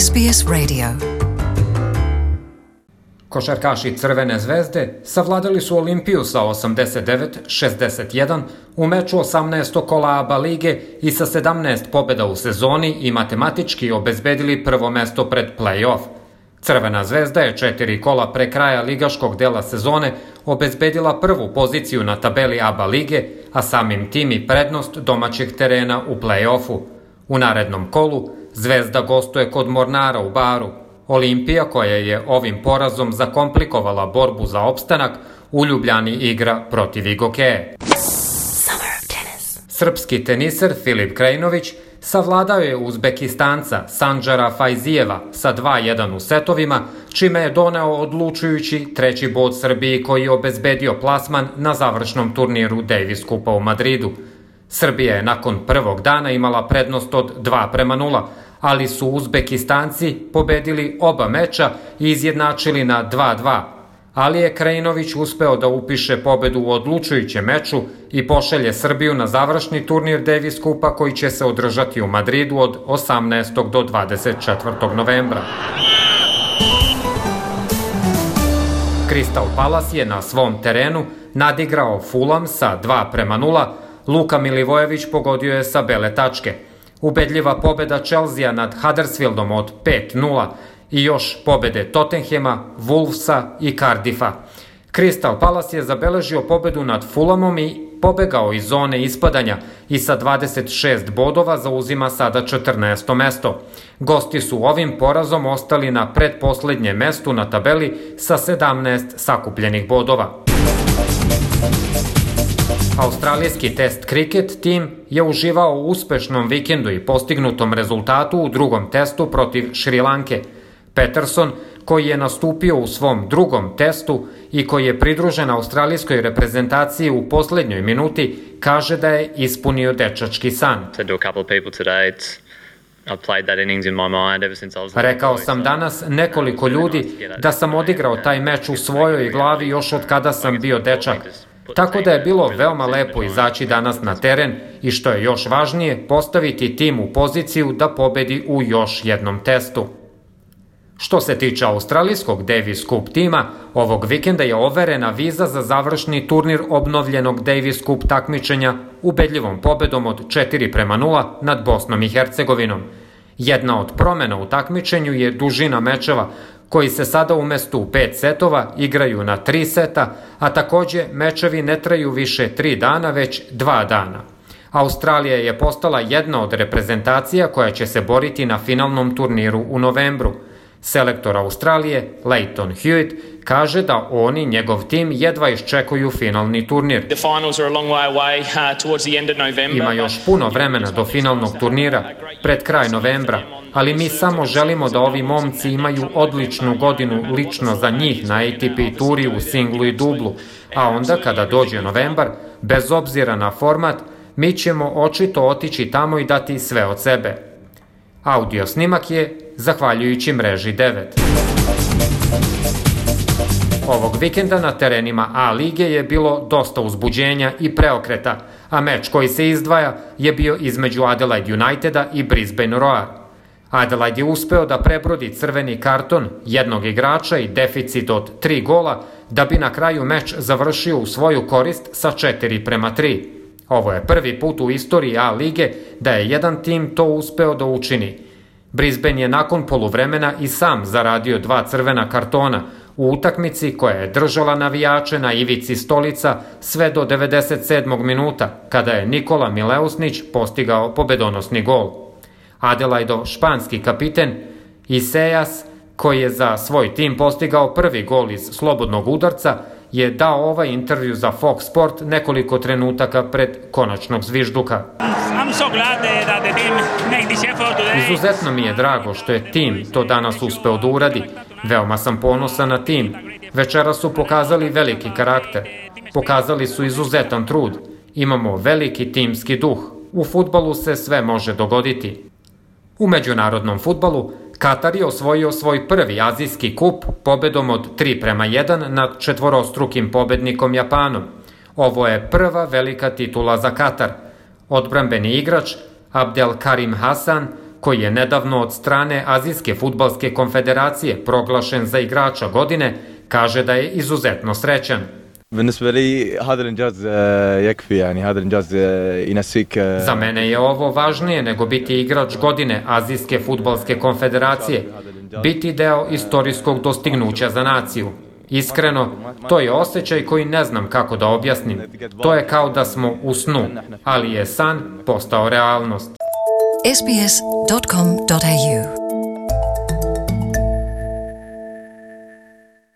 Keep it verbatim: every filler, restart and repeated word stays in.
S B S Radio. Košarkaši Crvene zvezde savladali su Olimpiju sa osamdeset devet šezdeset jedan u meču osamnaestog kola A B A lige i sa sedamnaest pobjeda u sezoni i matematički obezbedili prvo mesto pred play-off. Crvena zvezda je četiri kola pre kraja ligaškog dela sezone obezbedila prvu poziciju na tabeli A B A lige, a samim tim i prednost domaćeg terena u play-offu. U narednom kolu Zvezda gostuje kod Mornara u Baru. Olimpija, koja je ovim porazom zakomplikovala borbu za opstanak, u Ljubljani igra protiv Igokeje. Srpski teniser Filip Krajinović savladao je Uzbekistanca Sanđara Fajzijeva sa dva jedan u setovima, čime je doneo odlučujući treći bod Srbiji, koji je obezbedio plasman na završnom turniru Davis Kupa u Madridu. Srbija je nakon prvog dana imala prednost od dva prema nula, ali su Uzbekistanci pobedili oba meča i izjednačili na dva dva. Ali je Krajinović uspeo da upiše pobedu u odlučujućem meču i pošalje Srbiju na završni turnir Davis Kupa, koji će se održati u Madridu od osamnaestog do dvadeset četvrtog novembra. Crystal Palace je na svom terenu nadigrao Fulham sa dva prema nula, Luka Milivojević pogodio je sa bele tačke. Ubedljiva pobeda Chelsea nad Huddersfieldom od pet nula i još pobede Tottenhema, Wolvesa i Cardiffa. Crystal Palace je zabeležio pobedu nad Fulhamom i pobegao iz zone ispadanja i sa dvadeset šest bodova zauzima sada četrnaesto mesto. Gosti su ovim porazom ostali na pretposlednjem mestu na tabeli sa sedamnaest sakupljenih bodova. Australijski test kriket tim je uživao u uspešnom vikendu i postignutom rezultatu u drugom testu protiv Šrilanke. Peterson, koji je nastupio u svom drugom testu i koji je pridružen australijskoj reprezentaciji u poslednjoj minuti, kaže da je ispunio dečački san. Rekao sam danas nekoliko ljudi da sam odigrao taj meč u svojoj glavi još od kada sam bio dečak. Tako da je bilo veoma lepo izaći danas na teren i, što je još važnije, postaviti tim u poziciju da pobedi u još jednom testu. Što se tiče australijskog Davis Cup tima, ovog vikenda je overena viza za završni turnir obnovljenog Davis Cup takmičenja ubedljivom pobedom od četiri prema nula nad Bosnom i Hercegovinom. Jedna od promena u takmičenju je dužina mečeva, koji se sada umesto u pet setova igraju na tri seta, a takođe mečevi ne traju više tri dana, već dva dana. Australija je postala jedna od reprezentacija koja će se boriti na finalnom turniru u novembru. Selektor Australije, Leighton Hewitt, kaže da oni, njegov tim, jedva iščekuju finalni turnir. Ima još puno vremena do finalnog turnira, pred kraj novembra, ali mi samo želimo da ovi momci imaju odličnu godinu lično za njih na A T P turi u singlu i dublu, a onda kada dođe novembar, bez obzira na format, mi ćemo očito otići tamo i dati sve od sebe. Audio snimak je zahvaljujući mreži devet. Ovog vikenda na terenima A lige je bilo dosta uzbuđenja i preokreta, a meč koji se izdvaja je bio između Adelaide Uniteda i Brisbane Roar. Adelaide je uspeo da prebrodi crveni karton jednog igrača i deficit od tri gola, da bi na kraju meč završio u svoju korist sa četiri prema tri. Ovo je prvi put u istoriji A lige da je jedan tim to uspeo da učini. Brisbane je nakon poluvremena i sam zaradio dva crvena kartona u utakmici koja je držala navijače na ivici stolica sve do devedeset sedmog minuta, kada je Nikola Mileusnić postigao pobedonosni gol. Adelaideov španski kapiten Isejas, koji je za svoj tim postigao prvi gol iz slobodnog udarca, je dao ovaj intervju za Fox Sport nekoliko trenutaka pred konačnog zvižduka. Izuzetno mi je drago što je tim to danas uspeo da uradi. Veoma sam ponosan na tim. Večera su pokazali veliki karakter. Pokazali su izuzetan trud. Imamo veliki timski duh. U fudbalu se sve može dogoditi. U međunarodnom fudbalu Katar je osvojio svoj prvi azijski kup pobedom od tri prema jedan nad četvorostrukim pobednikom Japanom. Ovo je prva velika titula za Katar. Odbrambeni igrač Abdelkarim Hasan koji je nedavno od strane Azijske fudbalske konfederacije proglašen za igrača godine, kaže da je izuzetno srećan. Za mene je ovo važnije nego biti igrač godine Azijske fudbalske konfederacije, biti deo istorijskog dostignuća za naciju. Iskreno, to je osjećaj koji ne znam kako da objasnim. To je kao da smo u snu, ali je san postao realnost. s b s dot com dot a u